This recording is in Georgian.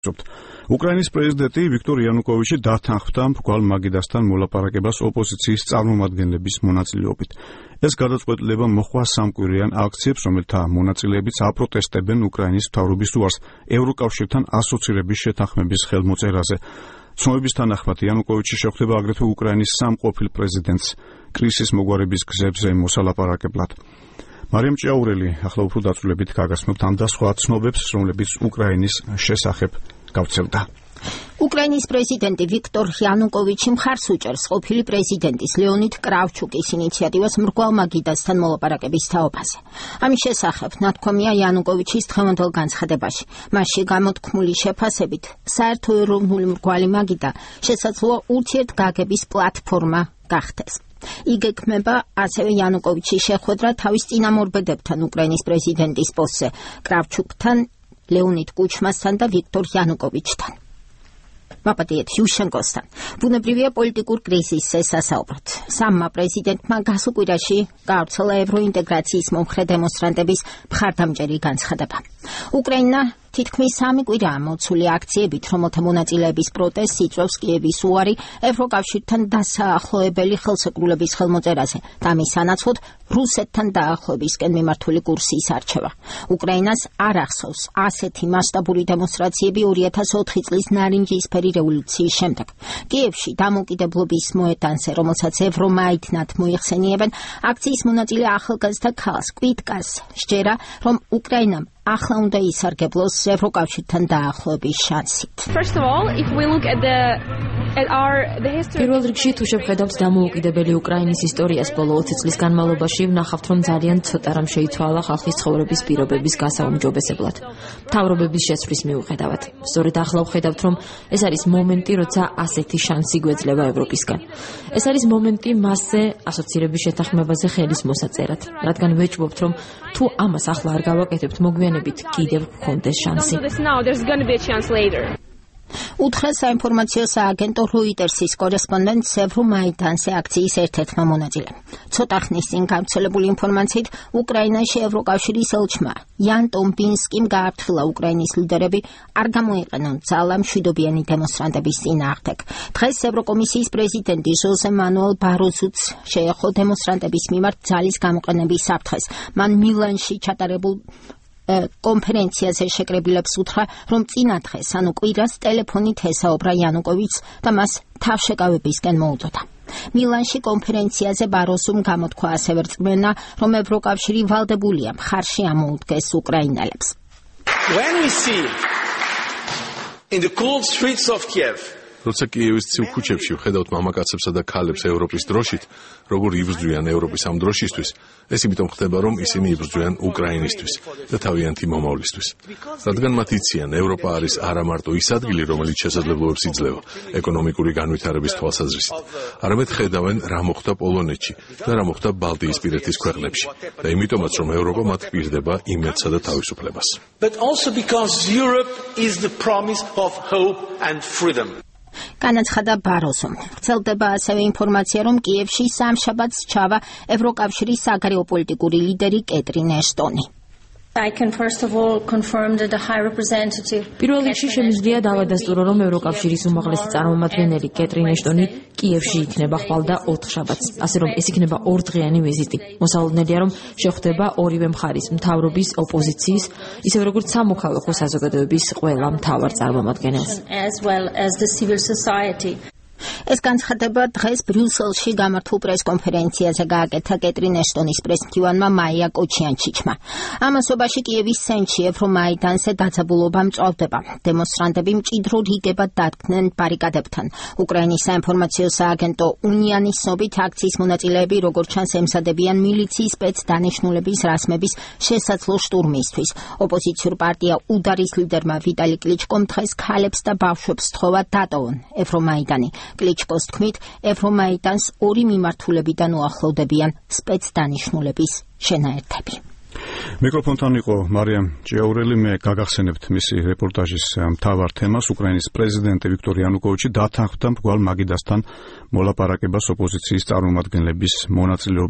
უკრაინის პრეზიდენტი ვიქტორ იანუკოვიჩი დათანხმდა მრგვალ მაგიდასთან მოლაპარაკებას ოპოზიციის წარმომადგენლების მონაწილეობით. ეს გადაწყვეტილება მოჰყვა სამკვირიან აქციებს, რომელთა მონაწილეებიც აპროტესტებენ უკრაინის მთავრობის უარს ევროკავშირთან ასოცირების შეთანხმების ხელმოწერაზე. ცნობების თანახმად იანუკოვიჩი შეხვდება აგრეთვე უკრაინის სამ ყოფილ პრეზიდენტს კრიზისის მოგვარების გზებზე მოსალაპარაკებლად. მარიამ ჭიაურელი ახლა უფრო დაწვრილებით გაგაცნობთ ამ და სხვა ცნობებს, რომლებიც უკრაინის შესახებ გავცელდა. უკრაინის პრეზიდენტი ვიქტორ იანუკოვიჩი მხარს უჭერს ყოფილი პრეზიდენტის ლეონიდ კრავჩუკის ინიციატივას მრგვალ მაგიდასთან მოლაპარაკების თაობაზე. ამის შესახებ ნათქვამია იანუკოვიჩის დღევანდელ განცხადებაში. მასში გამოთქმული შეფასებით, საერთო ეროვნული მრგვალი მაგიდა შესაძლოა ურთიერთგაგების პლატფორმა გახდეს. იგეგმება ასევე იანუკოვიჩის შეხვედრა თავის წინამორბედებთან უკრაინის პრეზიდენტის პოსტზე, კრავჩუკთან, ლეონიდ კუჩმასთან და ვიქტორ იანუკოვიჩთან. მაპატიეთ იუშენკოსთან. ბუნებრივია პოლიტიკურ კრიზისზე სასაუბროთ. სამმა პრეზიდენტმა გასულ კვირაში გაავრცელა ევროინტეგრაციის მომხრე დემონსტრანტების მხარდამჭერი განცხადება. უკრაინა თითქმის 3 კვირაა მოცული აქციებით, რომელთა მონაწილეების პროტესტს იწვევს კიევის უარი ევროკავშირთან დასაახლოებელი ხელსეკრულების ხელმოწერაზე და ამის სანაცვლოდ რუსეთთან დაახლოებისკენ მიმართული კურსის არჩევა. უკრაინას არ ახსოვს ასეთი მასშტაბური დემონსტრაციები 2004 წლის ნარინჯისფერი რევოლუციის შემდეგ. კიევში დამოუკიდებლობის მოედანზე, რომელსაც ევრომაიდნად მოიხსენიებენ, აქციის მონაწილე ახალგაზრდა ქალს კვიტკას სჯერა, რომ უკრაინამ ახლა უნდა ისარგებლოს ევროკავშირთან დაახლოების შანსით. პირველ რიგში თუ შევხედავთ დამოუკიდებელი უკრაინის ისტორიას ბოლო 20 წლის განმავლობაში, ვნახავთ, რომ ძალიან ცოტა რამ შეიცვალა ხალხის ცხოვრების პირობების გასაუმჯობესებლად. მთავრობების შეცვლის მიუხედავად. სწორედ ახლა ვხედავთ, რომ ეს არის მომენტი, როცა ასეთი შანსი გვეძლევა ევროპისგან. ეს არის მომენტი მასზე ასოცირების შეთანხმებაზე ხელის მოსაწერად, რადგან ვეჭვობთ, რომ თუ ამას ახლა არ გავაკეთებთ, მოგვიანებით კიდევ გქონდეს შანსი. უთხრა საინფორმაციო სააგენტო როიტერსის კორესპონდენტ ევრომაიდანზე აქციის ერთ-ერთმა მონაწილემ. ცოტა ხნის წინ გავრცელებული ინფორმაციით, უკრაინაში ევროკავშირის ელჩმა იან ტომპინსკიმ გააფრთხილა უკრაინის ლიდერები არ გამოიყენონ ძალა მშვიდობიანი დემონსტრანტების წინააღმდეგ. დღეს ევროკომისიის პრეზიდენტი ჟოზე მანუელ ბაროზუც შეეხო დემონსტრანტების მიმართ ძალის გამოყენების საფრთხეს. მან მილანში ჩატარებულ კონფერენციაზე შეკრებილებს უთხრა, რომ წინა დღეს, ანუ კვირას ტელეფონით ესაუბრა იანუკოვიჩს და მას თავშეკავებისკენ მოუდოდა. მილანში კონფერენციაზე ბაროზუმ გამოთქვა ასევე რწმენა, რომ ევროკავშირი ვალდებულია მხარში ამოუდგეს უკრაინელებს. როცა კიევის ცივ ქუჩებში ვხედავთ მამაკაცებსა და ქალებს ევროპის დროშით, როგორ იბრძვიან ევროპის ამ დროშისთვის, ეს იმიტომ ხდება, რომ ისინი იბრძვიან უკრაინისთვის და თავიანთი მომავლისთვის. რადგან მათ იციან, ევროპა არის არა მარტო ის ადგილი, რომელიც შესაძლებლობებს იძლევა ეკონომიკური განვითარების თვალსაზრისით, არამედ ხედავენ, რა მოხდა პოლონეთში და რა მოხდა ბალტიისპირეთის ქვეყნებში და იმიტომაც, რომ ევროპა მათ პირდება იმედსა და თავისუფლებას. განაცხადა ბაროზუმ. ვრცელდება ასევე ინფორმაცია, რომ კიევში სამშაბათს ჩავა ევროკავშირის საგარეო პოლიტიკური ლიდერი კეტრინ ეშტონი. პირველ რიგში შემიძლია დავადასტურო, რომ ევროკავშირის უმაღლესი წარმომადგენელი კეტრინ ეშტონი კიევში იქნება ხვალ და 4 შაბათს, ასე რომ ეს იქნება 2 დღიანი ვიზიტი. მოსალოდნელია, რომ შეხვდება ორივე მხარის, მთავრობის, ოპოზიციის, ისევე როგორც სამოქალაქო საზოგადოების ყველა მთავარ წარმომადგენელს. ეს განცხადება დღეს ბრიუსელში გამართულ პრესკონფერენციაზე გააკეთა კეტრინ ეშტონის პრესმდივანმა მაია კოჩიანჩიჩმა. ამასობაში კიევის ცენტრში ევრომაიდანზე დაძაბულობა მწვავდება. დემონსტრანტები მჭიდრო რიგებად დადგნენ ბარიკადებთან. უკრაინის საინფორმაციო სააგენტო უნიანის ცნობით აქციის მონაწილეები როგორც ჩანს ემზადებიან მილიციის სპეცდანიშნულების რასმების შესაძლო შტურმისთვის. ოპოზიციურ პარტია უდარის ლიდერმა ვიტალი კლიჩკომ დღეს ქალებს და ბავშვებს სთხოვა დატოვონ ევრომაიდანი. კლიჩკოს თქმით, ევრომაიდანს 2 მიმართულებიდან უახლოვდებიან სპეცდანიშნულების შენაერთები. მიკროფონთან იყო მარიამ ჭიაურელი. მე გაგახსენებთ მისი რეპორტაჟის მთავარ თემას. უკრაინის პრეზიდენტი ვიქტორ იანუკოვიჩი დათანხმდა მრგვალ მაგიდასთან მოლაპარაკებას ოპოზიციის წარმომადგენლების მონაწილეობით.